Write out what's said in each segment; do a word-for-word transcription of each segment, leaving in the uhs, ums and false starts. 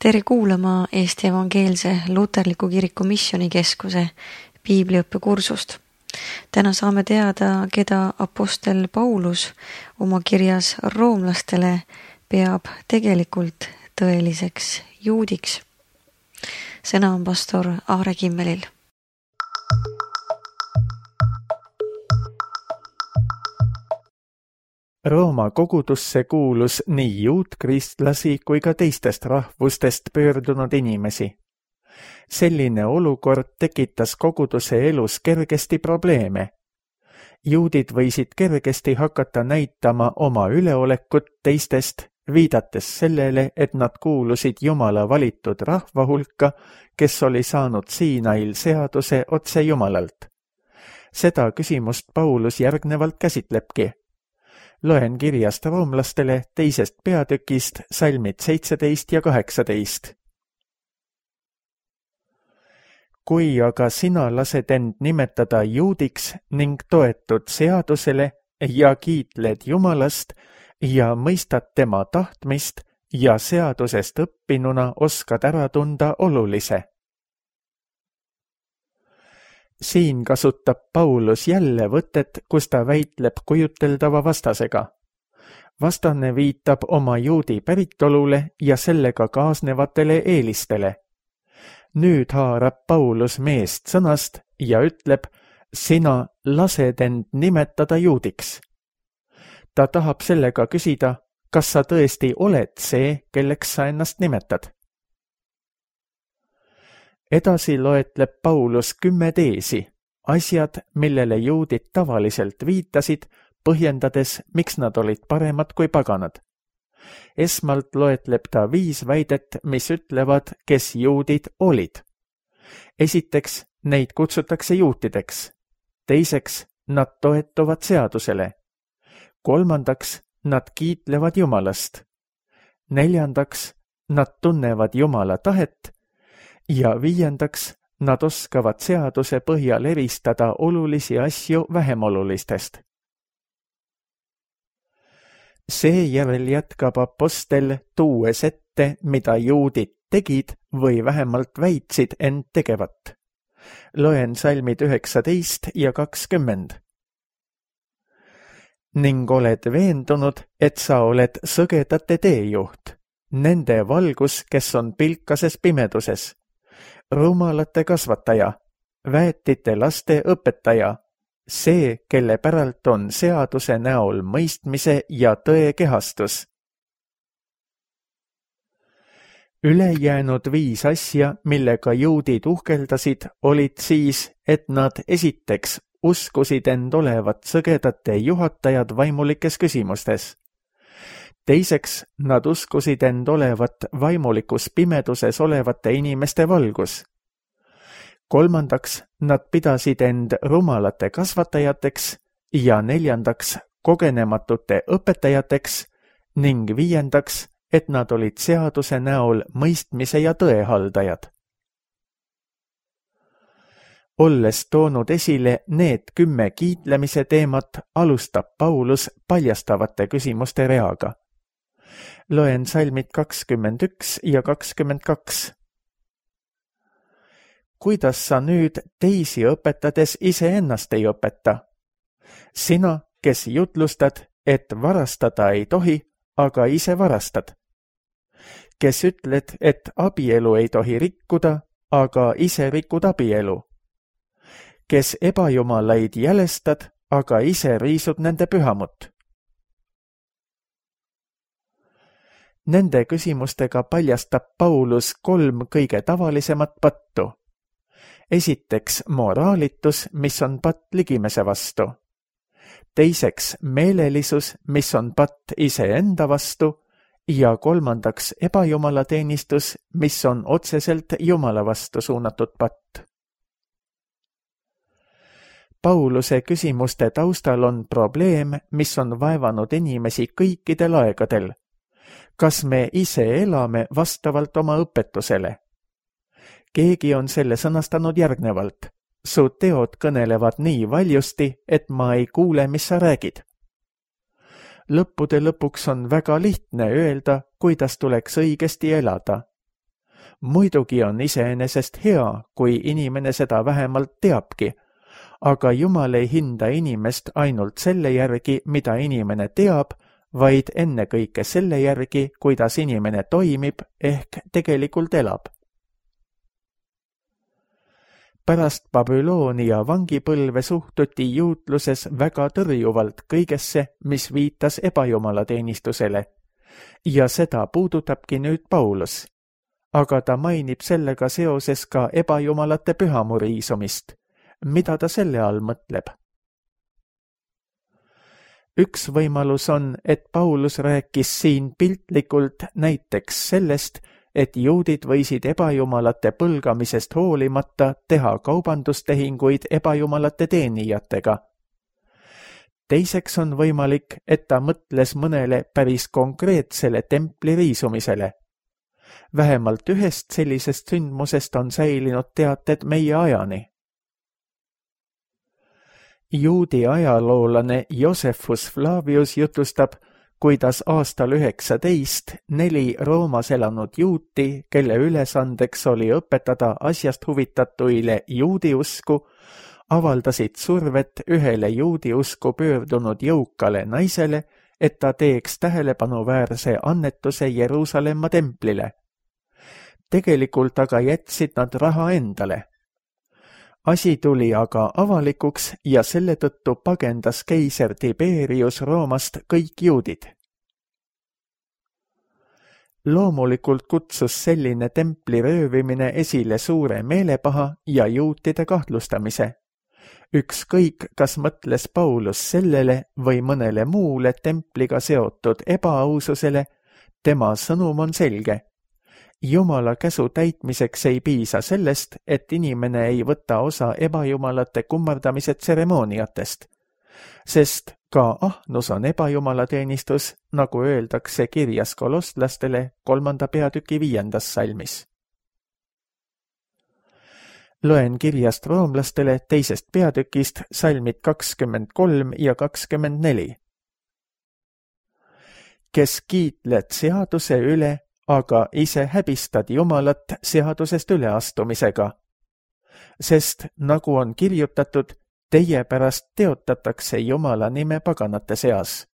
Tere kuulama Eesti Evangeelse Luterliku Kiriku Missioonikeskuse piibliõppekursust. Täna saame teada, keda apostel Paulus oma kirjas roomlastele peab tegelikult tõeliseks juudiks. Sõna on pastor Aare Kimmelil. Rooma kogudusse kuulus nii juutkristlasi kui ka teistest rahvustest pöördunud inimesi. Selline olukord tekitas koguduse elus kergesti probleeme. Juudid võisid kergesti hakata näitama oma üleolekut teistest, viidates sellele, et nad kuulusid Jumala valitud rahva hulka, kes oli saanud Siinail seaduse otse Jumalalt. Seda küsimust Paulus järgnevalt käsitlebki. Loen kirjast roomlastele teisest peatükist salmid seitseteist ja kaheksateist. Kui aga sina lased end nimetada juudiks ning toetud seadusele ja kiitled Jumalast ja mõistad tema tahtmist ja seadusest õppinuna oskad ära tunda olulise. Siin kasutab Paulus jälle võtet, kus ta väitleb kujuteldava vastasega. Vastane viitab oma juudi päritolule ja sellega kaasnevatele eelistele. Nüüd haarab Paulus meest sõnast ja ütleb, sina lased end nimetada juudiks. Ta tahab sellega küsida, kas sa tõesti oled see, kelleks sa ennast nimetad. Edasi loetleb Paulus kümme teesi, asjad, millele juudid tavaliselt viitasid, põhjendades, miks nad olid paremad kui paganad. Esmalt loetleb ta viis väidet, mis ütlevad, kes juudid olid. Esiteks, neid kutsutakse juutideks. Teiseks, nad toetuvad seadusele. Kolmandaks, nad kiitlevad Jumalast. Neljandaks, nad tunnevad Jumala tahet. Ja viiendaks, nad oskavad seaduse põhjal eristada olulisi asju vähem olulistest. Seejärel jätkab apostel tuues ette, mida juudid tegid või vähemalt väitsid end tegevat. Loen salmid üheksateist ja kakskümmend. Ning oled veendunud, et sa oled sõgedate teejuht, nende valgus, kes on pilkases pimeduses, rumalate kasvataja, väetite laste õpetaja, see, kelle päralt on seaduse näol mõistmise ja tõe kehastus. Ülejäänud viis asja, millega juudid uhkeldasid, olid siis, et nad esiteks uskusid end olevat sõgedate juhatajad vaimulikes küsimustes. Teiseks, nad uskusid end olevat vaimulikus pimeduses olevate inimeste valgus. Kolmandaks, nad pidasid end rumalate kasvatajateks ja neljandaks, kogenematute õpetajateks ning viiendaks, et nad olid seaduse näol mõistmise ja tõe haldajad. Olles toonud esile need kümme kiitlemise teemat, alustab Paulus paljastavate küsimuste reaga. Loen salmid kakskümmend üks ja kakskümmend kaks. Kuidas sa nüüd teisi õpetades iseennast ei õpeta? Sina, kes jutlustad, et varastada ei tohi, aga ise varastad. Kes ütled, et abielu ei tohi rikkuda, aga ise rikud abielu. Kes ebajumalaid jälestad, aga ise riisud nende pühamut. Nende küsimustega paljastab Paulus kolm kõige tavalisemat pattu. Esiteks moraalitus, mis on patt ligimese vastu. Teiseks meelelisus, mis on patt iseenda vastu. Ja kolmandaks ebajumalateenistus, mis on otseselt Jumala vastu suunatud patt. Pauluse küsimuste taustal on probleem, mis on vaevanud inimesi kõikidel aegadel. Kas me ise elame vastavalt oma õpetusele? Keegi on selle sõnastanud järgnevalt. Su teod kõnelevad nii valjusti, et ma ei kuule, mis sa räägid. Lõppude lõpuks on väga lihtne öelda, kuidas tuleks õigesti elada. Muidugi on iseenesest hea, kui inimene seda vähemalt teabki, aga Jumal ei hinda inimest ainult selle järgi, mida inimene teab, vaid ennekõike selle järgi, kuidas inimene toimib ehk tegelikult elab. Pärast Babyloonia vangipõlve suhtuti juutluses väga tõrjuvalt kõigesse, mis viitas ebajumalateenistusele, ja seda puudutabki nüüd Paulus. Aga ta mainib sellega seoses ka ebajumalate pühamuriisumist. Mida ta selle all mõtleb? Üks võimalus on, et Paulus rääkis siin piltlikult näiteks sellest, et juudid võisid ebajumalate põlgamisest hoolimata teha kaubandustehinguid ebajumalate teenijatega. Teiseks on võimalik, et ta mõtles mõnele päris konkreetsele templi riisumisele. Vähemalt ühest sellisest sündmusest on säilinud teated meie ajani. Juudi ajaloolane Josephus Flavius jutustab, kuidas aastal üheksateist neli Roomas elanud juuti, kelle ülesandeks oli õpetada asjast huvitatuile juudi usku, avaldasid survet ühele juudi usku pöördunud jõukale naisele, et ta teeks tähelepanuväärse annetuse Jeruusalemma templile. Tegelikult aga jätsid nad raha endale. Asi tuli aga avalikuks ja selle tõttu pagendas keiser Tiberius Roomast kõik juudid. Loomulikult kutsus selline templi röövimine esile suure meelepaha ja juutide kahtlustamise. Ükskõik, kas mõtles Paulus sellele või mõnele muule templiga seotud ebaaususele, tema sõnum on selge. Jumala käsu täitmiseks ei piisa sellest, et inimene ei võta osa ebajumalate kummardamise tseremooniatest, sest ka ahnus on ebajumalateenistus, nagu öeldakse kirjas kolostlastele kolmanda peatüki viiendas salmis. Loen kirjast roomlastele teisest peatükist salmid kakskümmend kolm ja kakskümmend neli. Kes kiitled seaduse üle, aga ise häbistad Jumalat seadusest üleastumisega. Sest, nagu on kirjutatud, teie pärast teotatakse Jumala nime paganate seas.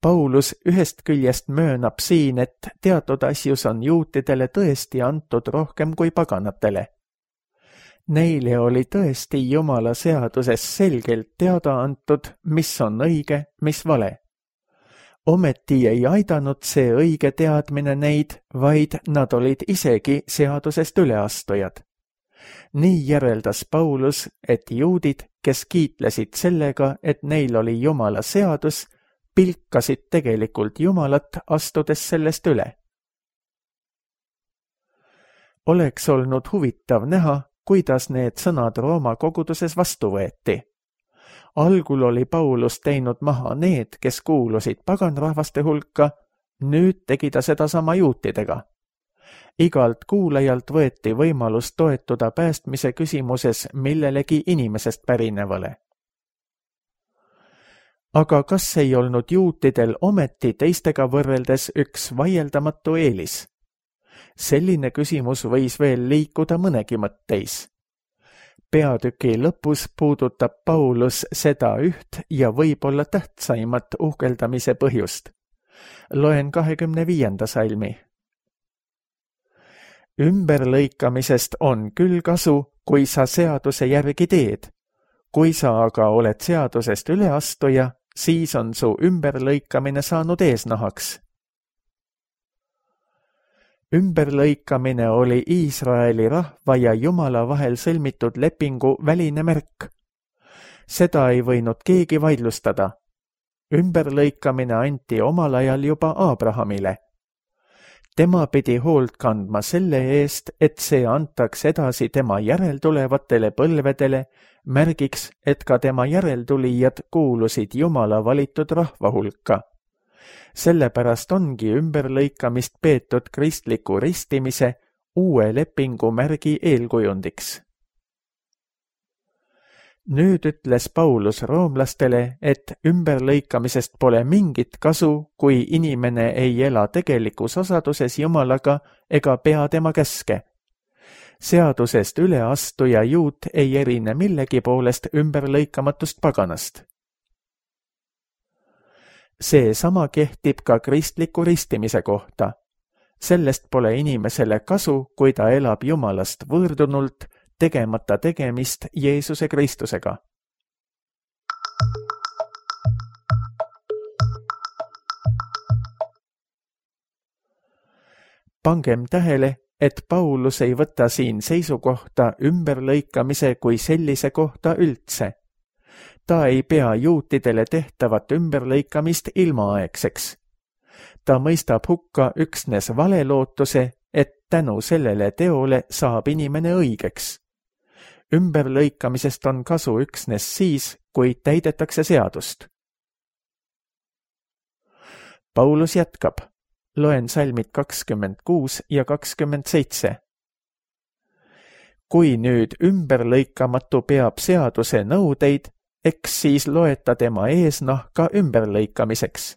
Paulus ühest küljest möönab siin, et teatud asjus on juutidele tõesti antud rohkem kui paganatele. Neile oli tõesti Jumala seaduses selgelt teada antud, mis on õige, mis vale. Ometi ei aidanud see õige teadmine neid, vaid nad olid isegi seadusest üleastujad. Nii järeldas Paulus, et juudid, kes kiitlesid sellega, et neil oli Jumala seadus, pilkasid tegelikult Jumalat, astudes sellest üle. Oleks olnud huvitav näha, kuidas need sõnad Rooma koguduses vastu võeti. Algul oli Paulus teinud maha need, kes kuulusid paganrahvaste hulka, nüüd tegi ta seda sama juutidega. Igalt kuulajalt võeti võimalus toetuda päästmise küsimuses millelegi inimesest pärinevale. Aga kas ei olnud juutidel ometi teistega võrreldes üks vaieldamatu eelis? Selline küsimus võis veel liikuda mõnegi mõtteis. Peatüki lõpus puudutab Paulus seda üht ja võib-olla tähtsaimat uhkeldamise põhjust. Loen kahekümne viienda salmi. Ümberlõikamisest on küll kasu, kui sa seaduse järgi teed. Kui sa aga oled seadusest üleastuja, siis on su ümberlõikamine saanud eesnahaks. Ümberlõikamine oli Iisraeli rahva ja Jumala vahel sõlmitud lepingu väline märk. Seda ei võinud keegi vaidlustada. Ümberlõikamine anti omal ajal juba Abrahamile. Tema pidi hoolt kandma selle eest, et see antaks edasi tema järeltulevatele põlvedele, märgiks, et ka tema järeltulijad kuulusid Jumala valitud rahva hulka. Sellepärast ongi ümberlõikamist peetud kristliku ristimise uue lepingu märgi eelkujundiks. Nüüd ütles Paulus roomlastele, et ümberlõikamisest pole mingit kasu, kui inimene ei ela tegelikus osaduses Jumalaga ega pea tema käske. Seadusest üleastuja juut ei erine millegi poolest ümberlõikamatust paganast. See sama kehtib ka kristliku ristimise kohta. Sellest pole inimesele kasu, kui ta elab Jumalast võõrdunult, tegemata tegemist Jeesuse Kristusega. Pangem tähele, et Paulus ei võta siin seisukohta ümberlõikamise kui sellise kohta üldse. Ta ei pea juutidele tehtavat ümberlõikamist ilmaaegseks. Ta mõistab hukka üksnes valelootuse, et tänu sellele teole saab inimene õigeks. Ümberlõikamisest on kasu üksnes siis, kui täidetakse seadust. Paulus jätkab. Loen salmid kakskümmend kuus ja kakskümmend seitse. Kui nüüd ümberlõikamatu peab seaduse nõudeid, eks siis loeta tema eesnahka ümberlõikamiseks.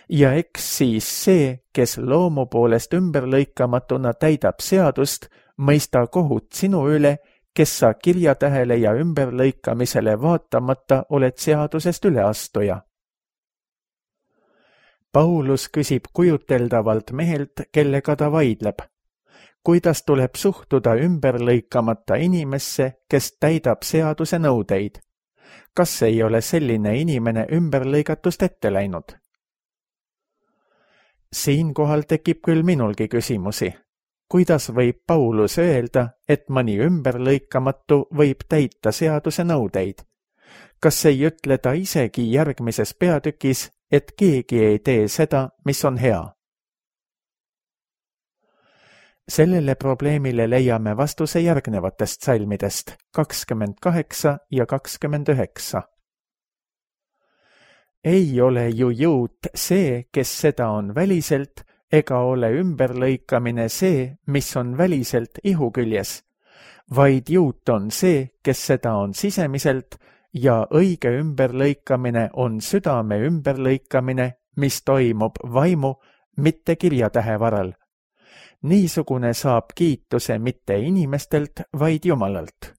Ja eks siis see, kes loomu poolest ümberlõikamatuna täidab seadust, mõista kohut sinu üle, kes sa kirjatähele ja ümberlõikamisele vaatamata oled seadusest üleastuja. Paulus küsib kujuteldavalt mehelt, kellega ta vaidleb. Kuidas tuleb suhtuda ümberlõikamata inimesse, kes täidab seaduse nõudeid? Kas ei ole selline inimene ümberlõigatust ette läinud? Siinkohal tekib küll minulgi küsimusi. Kuidas võib Paulus öelda, et mõni ümberlõikamatu võib täita seaduse nõudeid? Kas ei ütle ta isegi järgmises peatükis, et keegi ei tee seda, mis on hea? Sellele probleemile leiame vastuse järgnevatest salmidest kakskümmend kaheksa ja kakskümmend üheksa. Ei ole ju juut see, kes seda on väliselt, ega ole ümberlõikamine see, mis on väliselt ihu küljes, vaid juut on see, kes seda on sisemiselt, ja õige ümberlõikamine on südame ümberlõikamine, mis toimub vaimu, mitte kirjatähe varal. Niisugune saab kiituse mitte inimestelt, vaid Jumalalt.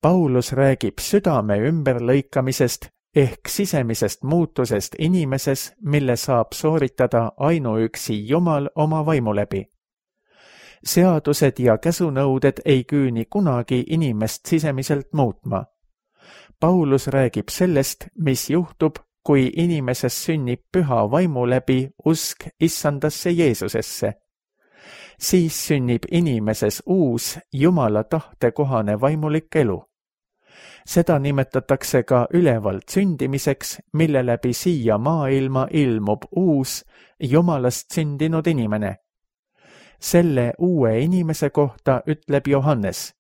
Paulus räägib südame ümberlõikamisest ehk sisemisest muutusest inimeses, mille saab sooritada ainuüksi Jumal oma vaimu läbi. Seadused ja käsunõuded ei küüni kunagi inimest sisemiselt muutma. Paulus räägib sellest, mis juhtub, kui inimeses sünnib püha vaimu läbi usk issandasse Jeesusesse. Siis sünnib inimeses uus Jumala tahte kohane vaimulik elu. Seda nimetatakse ka ülevalt sündimiseks, mille läbi siia maailma ilmub uus Jumalast sündinud inimene. Selle uue inimese kohta ütleb Johannes.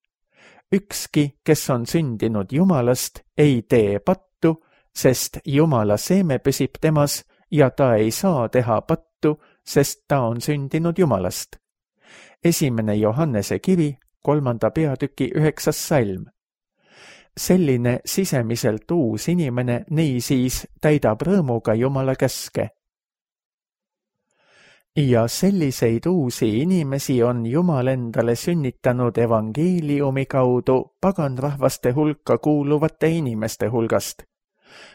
Ükski, kes on sündinud Jumalast, ei tee pattu, sest Jumala seeme püsib temas ja ta ei saa teha pattu, sest ta on sündinud Jumalast. Esimene Johannese kiri, kolmanda peatüki üheksas salm. Selline sisemiselt uus inimene niisiis täidab rõõmuga Jumala käske. Ja selliseid uusi inimesi on Jumal endale sünnitanud evangeeliumi kaudu paganrahvaste hulka kuuluvate inimeste hulgast.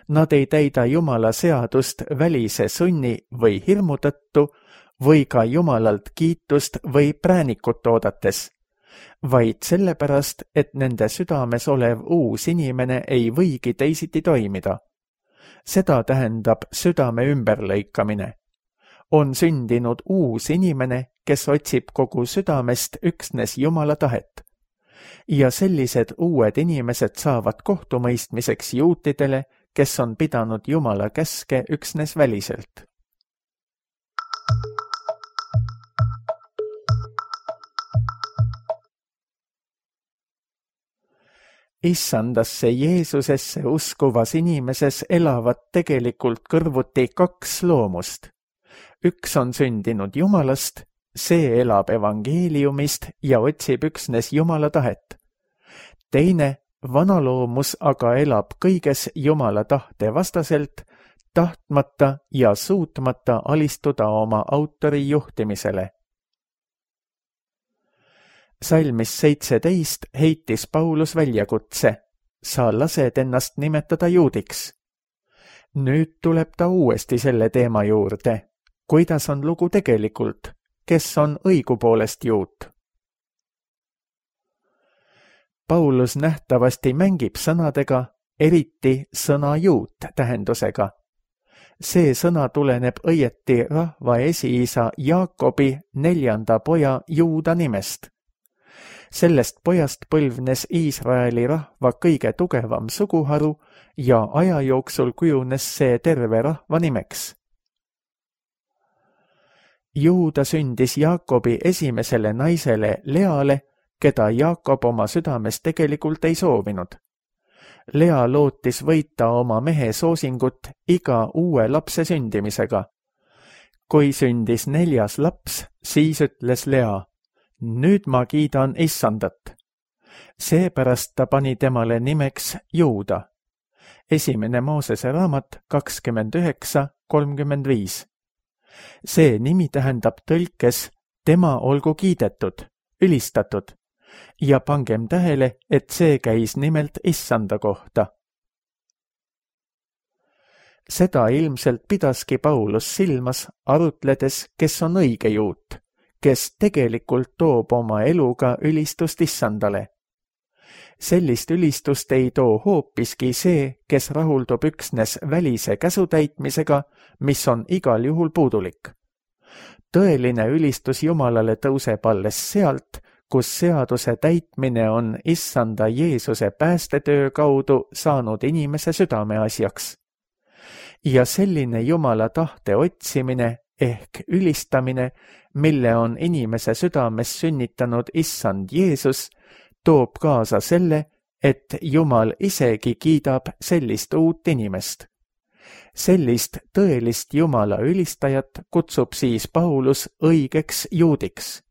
Nad ei täida Jumala seadust välise sunni või hirmu tõttu või ka Jumalalt kiitust või präänikut oodates, vaid sellepärast, et nende südames olev uus inimene ei võigi teisiti toimida. Seda tähendab südame ümberlõikamine. On sündinud uus inimene, kes otsib kogu südamest üksnes Jumala tahet. Ja sellised uued inimesed saavad kohtumõistmiseks juutidele, kes on pidanud Jumala käske üksnes väliselt. Issandasse Jeesusesse uskuvas inimeses elavad tegelikult kõrvuti kaks loomust. Üks on sündinud Jumalast, see elab evangeeliumist ja otsib üksnes Jumala tahet. teine, vanaloomus aga elab kõiges Jumala tahte vastaselt, tahtmata ja suutmata alistuda oma autori juhtimisele. Salmis seitseteist heitis Paulus väljakutse, sa lased ennast nimetada juudiks. Nüüd tuleb ta uuesti selle teema juurde, kuidas on lugu tegelikult, kes on õigupoolest juut. Paulus nähtavasti mängib sõnadega, eriti sõna juut tähendusega. See sõna tuleneb õieti rahva esiisa Jaakobi neljanda poja Juuda nimest. Sellest pojast põlvnes Iisraeli rahva kõige tugevam suguharu ja aja jooksul kujunes see terve rahva nimeks. Juuda sündis Jaakobi esimesele naisele Leale, keda Jaakob oma südames tegelikult ei soovinud. Lea lootis võita oma mehe soosingut iga uue lapse sündimisega. Kui sündis neljas laps, siis ütles Lea, nüüd ma kiidan Issandat. Seepärast ta pani temale nimeks Juuda. Esimene Moosese raamat kakskümmend üheksa kolmkümmend viis. See nimi tähendab tõlkes tema olgu kiidetud, ülistatud. Ja pangem tähele, et see käis nimelt Issanda kohta. Seda ilmselt pidaski Paulus silmas, arutledes, kes on õige juut, kes tegelikult toob oma eluga ülistust Issandale. Sellist ülistust ei too hoopiski see, kes rahuldub üksnes välise käsutäitmisega, mis on igal juhul puudulik. Tõeline ülistus Jumalale tõuseb alles sealt, kus seaduse täitmine on Issanda Jeesuse päästetöö kaudu saanud inimese südameasjaks. Ja selline Jumala tahte otsimine ehk ülistamine, mille on inimese südames sünnitanud Issand Jeesus, toob kaasa selle, et Jumal isegi kiidab sellist uut inimest. Sellist tõelist Jumala ülistajat kutsub siis Paulus õigeks juudiks.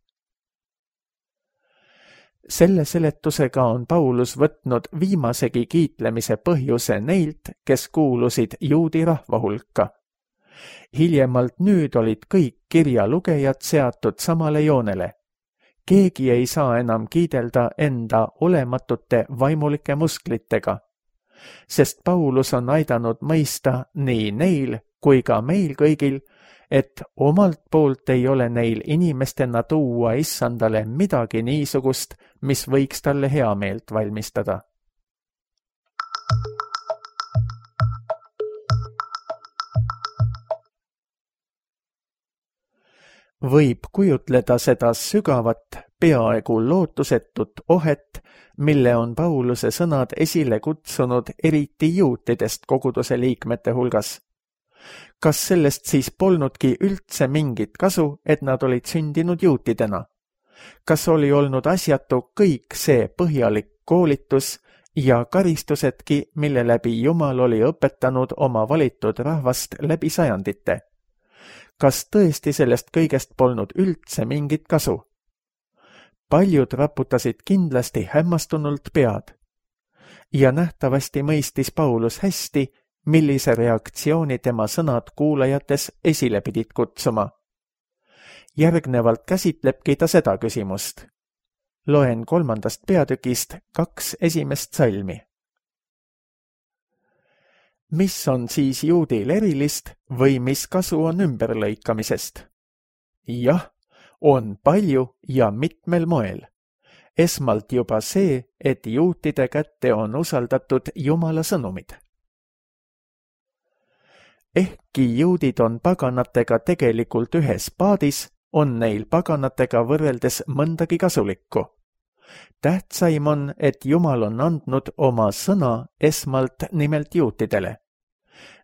Selle seletusega on Paulus võtnud viimasegi kiitlemise põhjuse neilt, kes kuulusid juudi rahva hulka. Hiljemalt nüüd olid kõik kirja lugejad seatud samale joonele. Keegi ei saa enam kiidelda enda olematute vaimulike musklitega, sest Paulus on aidanud mõista nii neil kui ka meil kõigil, et omalt poolt ei ole neil inimestena tuua Issandale midagi niisugust, mis võiks talle heameelt valmistada. Võib kujutleda seda sügavat, peaaegu lootusetut ohet, mille on Pauluse sõnad esile kutsunud eriti juutidest koguduse liikmete hulgas. Kas sellest siis polnudki üldse mingit kasu, et nad olid sündinud juutidena? Kas oli olnud asjatu kõik see põhjalik koolitus ja karistusedki, mille läbi Jumal oli õpetanud oma valitud rahvast läbi sajandite? Kas tõesti sellest kõigest polnud üldse mingit kasu? Paljud raputasid kindlasti hämmastunult pead. Ja nähtavasti mõistis Paulus hästi, millise reaktsiooni tema sõnad kuulajates esile pidid kutsuma. Järgnevalt käsitlebki ta seda küsimust. Loen kolmandast peatükist kaks esimest salmi. Mis on siis juudil erilist või mis kasu on ümberlõikamisest? Jah, on palju ja mitmel moel. Esmalt juba see, et juutide kätte on usaldatud Jumala sõnumid. Ehkki juudid on paganatega tegelikult ühes paadis, on neil paganatega võrreldes mõndagi kasulikku. Tähtsaim on, et Jumal on andnud oma sõna esmalt nimelt juutidele.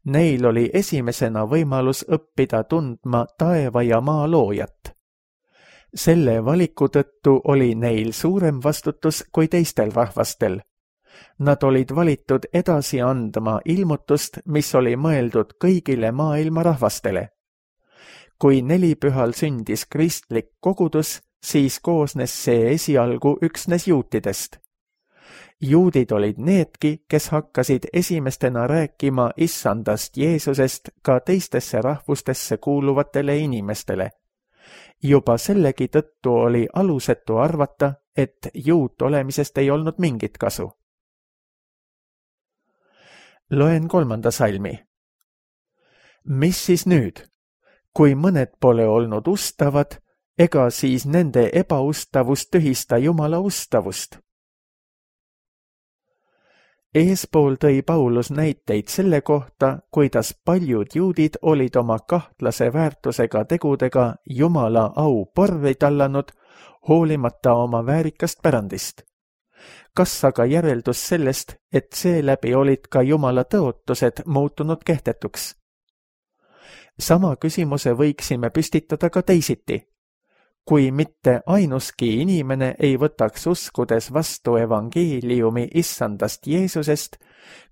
Neil oli esimesena võimalus õppida tundma taeva ja maa loojat. Selle valiku tõttu oli neil suurem vastutus kui teistel rahvastel. Nad olid valitud edasi andma ilmutust, mis oli mõeldud kõigile maailma rahvastele. Kui nelipühal sündis kristlik kogudus, siis koosnes see esialgu üksnes juutidest. Juudid olid needki, kes hakkasid esimestena rääkima issandast Jeesusest ka teistesse rahvustesse kuuluvatele inimestele. Juba sellegi tõttu oli alusetu arvata, et juut olemisest ei olnud mingit kasu. Loen kolmanda salmi. Mis siis nüüd? Kui mõned pole olnud ustavad, ega siis nende ebaustavust tühista Jumala ustavust. Eespool tõi Paulus näiteid selle kohta, kuidas paljud juudid olid oma kahtlase väärtusega tegudega Jumala au porvi tallanud, hoolimata oma väärikast pärandist. Kas aga järeldus sellest, et seeläbi olid ka Jumala tõotused muutunud kehtetuks? Sama küsimuse võiksime püstitada ka teisiti. Kui mitte ainuski inimene ei võtaks uskudes vastu evangeeliumi issandast Jeesusest,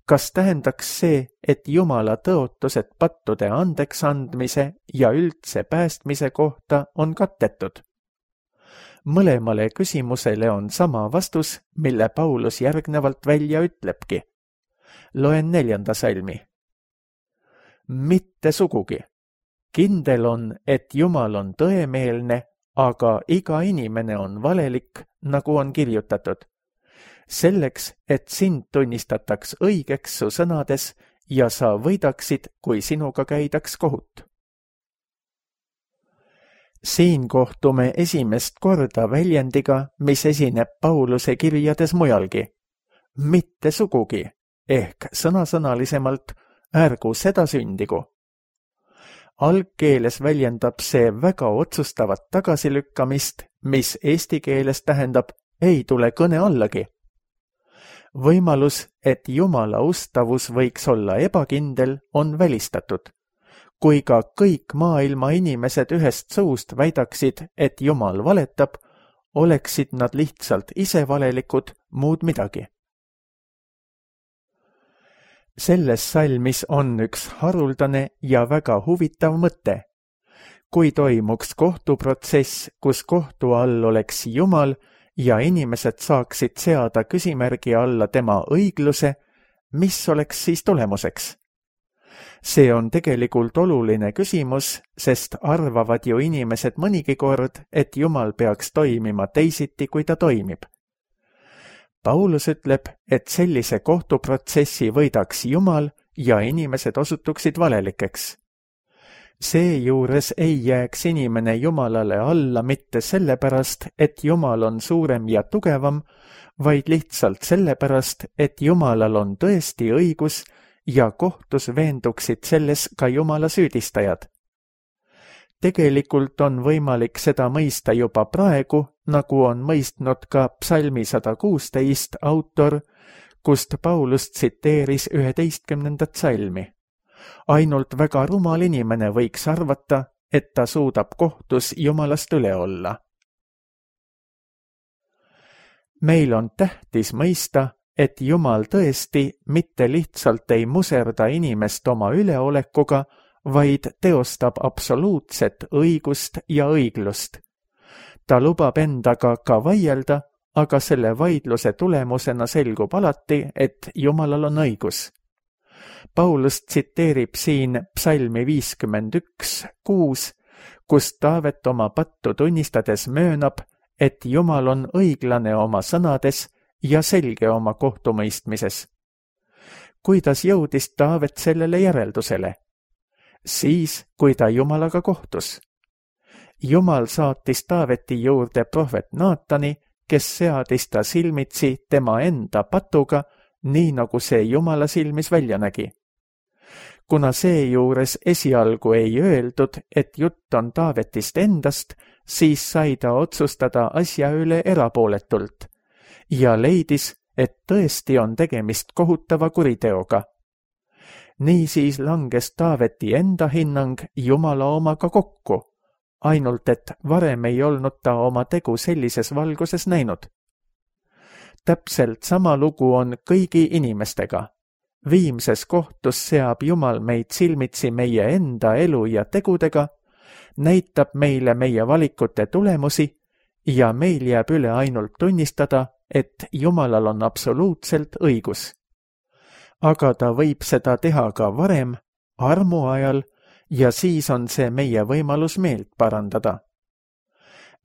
kas tähendaks see, et Jumala tõotused pattude andeks andmise ja üldse päästmise kohta on kattetud? Mõlemale küsimusele on sama vastus, mille Paulus järgnevalt välja ütlebki. Loen neljanda salmi. Mitte sugugi. Kindel on, et Jumal on tõemeelne, aga iga inimene on valelik, nagu on kirjutatud. Selleks, et sind tunnistataks õigeks su sõnades ja sa võidaksid, kui sinuga käidaks kohut. Siin kohtume esimest korda väljendiga, mis esineb Pauluse kirjades mujalgi. Mitte sugugi, ehk sõnasõnalisemalt ärgu seda sündigu. Algkeeles väljendab see väga otsustavat tagasilükkamist, mis eesti keeles tähendab ei tule kõne allagi. Võimalus, et Jumala ustavus võiks olla ebakindel, on välistatud. Kui ka kõik maailma inimesed ühest suust väidaksid, et Jumal valetab, oleksid nad lihtsalt ise valelikud, muud midagi. Selles salmis on üks haruldane ja väga huvitav mõte. Kui toimuks kohtuprotsess, kus kohtu all oleks Jumal ja inimesed saaksid seada küsimärgi alla tema õigluse, mis oleks siis tulemuseks? See on tegelikult oluline küsimus, sest arvavad ju inimesed mõnigi kord, et Jumal peaks toimima teisiti, kui ta toimib. Paulus ütleb, et sellise kohtuprotsessi võidaks Jumal ja inimesed osutuksid valelikeks. Seejuures ei jääks inimene Jumalale alla mitte sellepärast, et Jumal on suurem ja tugevam, vaid lihtsalt sellepärast, et Jumalal on tõesti õigus ja kohtus veenduksid selles ka Jumala süüdistajad. Tegelikult on võimalik seda mõista juba praegu, nagu on mõistnud ka psalmi sada kuusteist autor, kust Paulus tsiteeris üheteistkümnendat salmi. Ainult väga rumal inimene võiks arvata, et ta suudab kohtus Jumalast üle olla. Meil on tähtis mõista, et Jumal tõesti mitte lihtsalt ei muserda inimest oma üleolekuga, vaid teostab absoluutset õigust ja õiglust. Ta lubab endaga ka vaielda, aga selle vaidluse tulemusena selgub alati, et Jumalal on õigus. Paulus tsiteerib siin psalmi viiskümmend üks kuus, kus Taavet oma pattu tunnistades möönab, et Jumal on õiglane oma sõnades ja selge oma kohtumõistmises. Kuidas jõudis Taavet sellele järeldusele? Siis, kui ta Jumalaga kohtus. Jumal saatis Taaveti juurde prohvet Naatani, kes seadis ta silmitsi tema enda patuga, nii nagu see Jumala silmis välja nägi. Kuna seejuures esialgu ei öeldud, et jutt on Taavetist endast, siis sai ta otsustada asja üle erapooletult ja leidis, et tõesti on tegemist kohutava kuriteoga. Niisiis langes Taaveti enda hinnang Jumala omaga kokku, ainult et varem ei olnud ta oma tegu sellises valguses näinud. Täpselt sama lugu on kõigi inimestega. Viimses kohtus seab Jumal meid silmitsi meie enda elu ja tegudega, näitab meile meie valikute tulemusi ja meil jääb üle ainult tunnistada, et Jumalal on absoluutselt õigus. Aga ta võib seda teha ka varem, armu ajal, ja siis on see meie võimalus meelt parandada.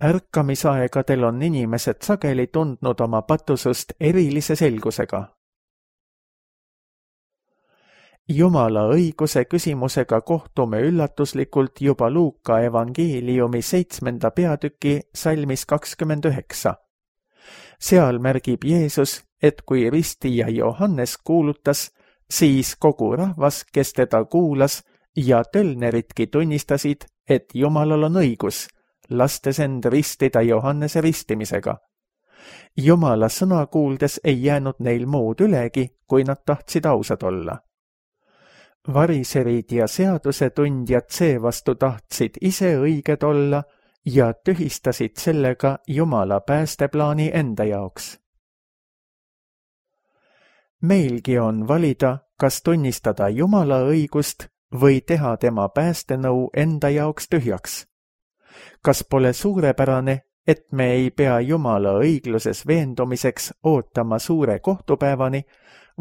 Ärkamisaegadel on inimesed sageli tundnud oma patusust erilise selgusega. Jumala õiguse küsimusega kohtume üllatuslikult juba Luuka evangeeliumi seitsmenda peatüki salmis kakskümmend üheksa. Seal märgib Jeesus, et kui ristija Johannes kuulutas, siis kogu rahvas, kes teda kuulas ja tölneritki tunnistasid, et Jumalal on õigus, lastes end ristida Johannese ristimisega. Jumala sõna kuuldes ei jäänud neil muud ülegi, kui nad tahtsid ausad olla. Variserid ja seadusetundjad seevastu tahtsid ise õiged olla ja tühistasid sellega Jumala päästeplaani enda jaoks. Meilgi on valida, kas tunnistada Jumala õigust või teha tema päästenõu enda jaoks tühjaks. Kas pole suurepärane, et me ei pea Jumala õigluses veendumiseks ootama suure kohtupäevani,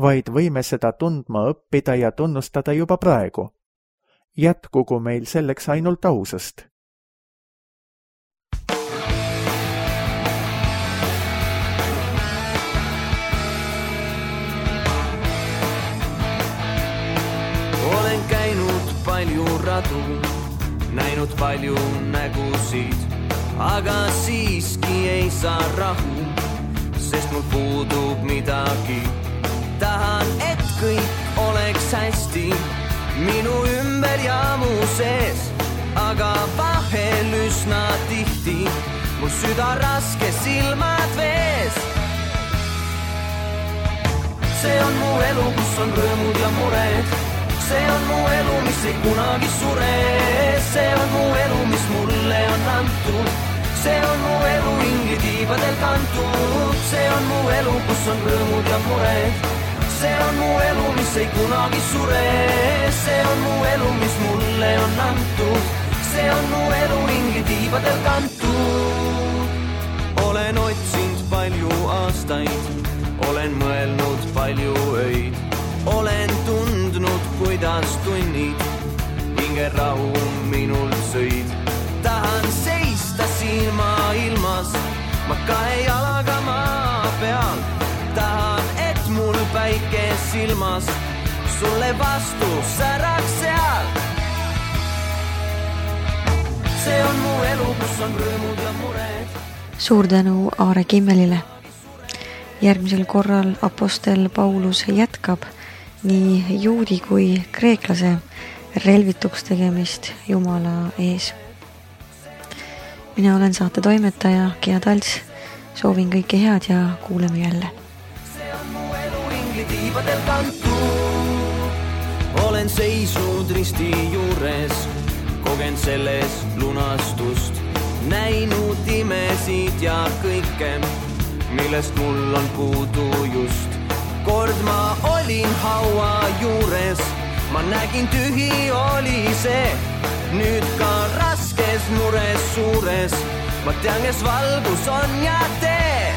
vaid võime seda tundma õppida ja tunnustada juba praegu. Jätkugu meil selleks ainult ausust. Olen käinud palju radu, näinud palju nägusid, aga siiski ei saa rahu, sest mul puudub midagi. Tahan, et kõik oleks hästi minu ümber ja mu sees, aga vahel üsna tihti mul süda raske, silmad vees. See on mu elu, kus on rõõmud ja mured. See on mu elu, mis ei kunagi sure. See on mu elu, mis mulle on antud. See on mu elu ingi tiibadel kantud. See on mu elu, kus on rõõmud ja mured. See on mu elu, mis ei kunagi sure. See on mu elu, mis mulle on antud. See on mu elu ingi tiibadel kantud. Olen otsinud palju aastaid, olen mõelnud palju öid. Olen tundnud, kuidas tunnid hingerahu minul sõid. Tahan seista siin maa ilmas, ma kahe jalaga maa peal. Tahan, et mul päike silmas sulle vastu säraks seal. See on mu elu, kus on rõõmud ja mured. Suur tänu Aare Kimmelile. Järgmisel korral apostel Paulus jätkab nii juudi kui kreeklase relvituks tegemist Jumala ees. Mina olen saate toimetaja Gea Talts. Soovin kõike head ja kuuleme jälle. See on mu elu ingli tiibadel kantud. Olen seisnud risti juures, kogen selles lunastust. Näinud imesid ja kõike, millest mul on puudu just. Kord ma olin haua juures, ma nägin tühi oli see. Nüüd ka raskes mures suures, ma tean, kes valgus on ja tee.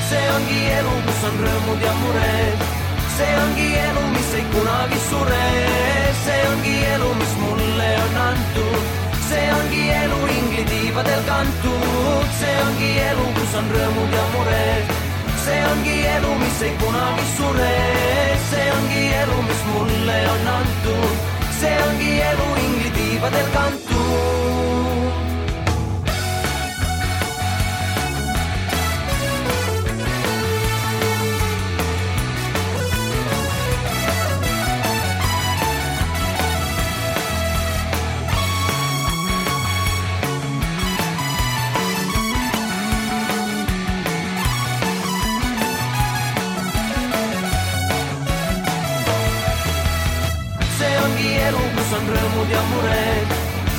See ongi elu, kus on rõõmud ja mured. See ongi elu, mis ei kunagi sure. See ongi elu, mis mulle on antud. See ongi elu ingli tiibadel kantud. See ongi elu, kus on rõõmud ja mured. See ongi elu, mis ei kunagi sure. See ongi elu, mis mulle on antud. See ongi elu ingli tiibadel kantud. On rõõmud ja mured.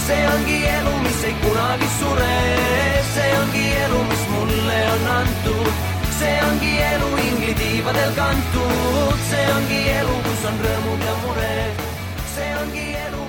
See ongi elu, mis ei kunagi sure. See ongi elu, mis mulle on antud. See ongi elu ingli tiibadel kantud. See ongi elu, kus on rõõmud ja mured. See ongi elu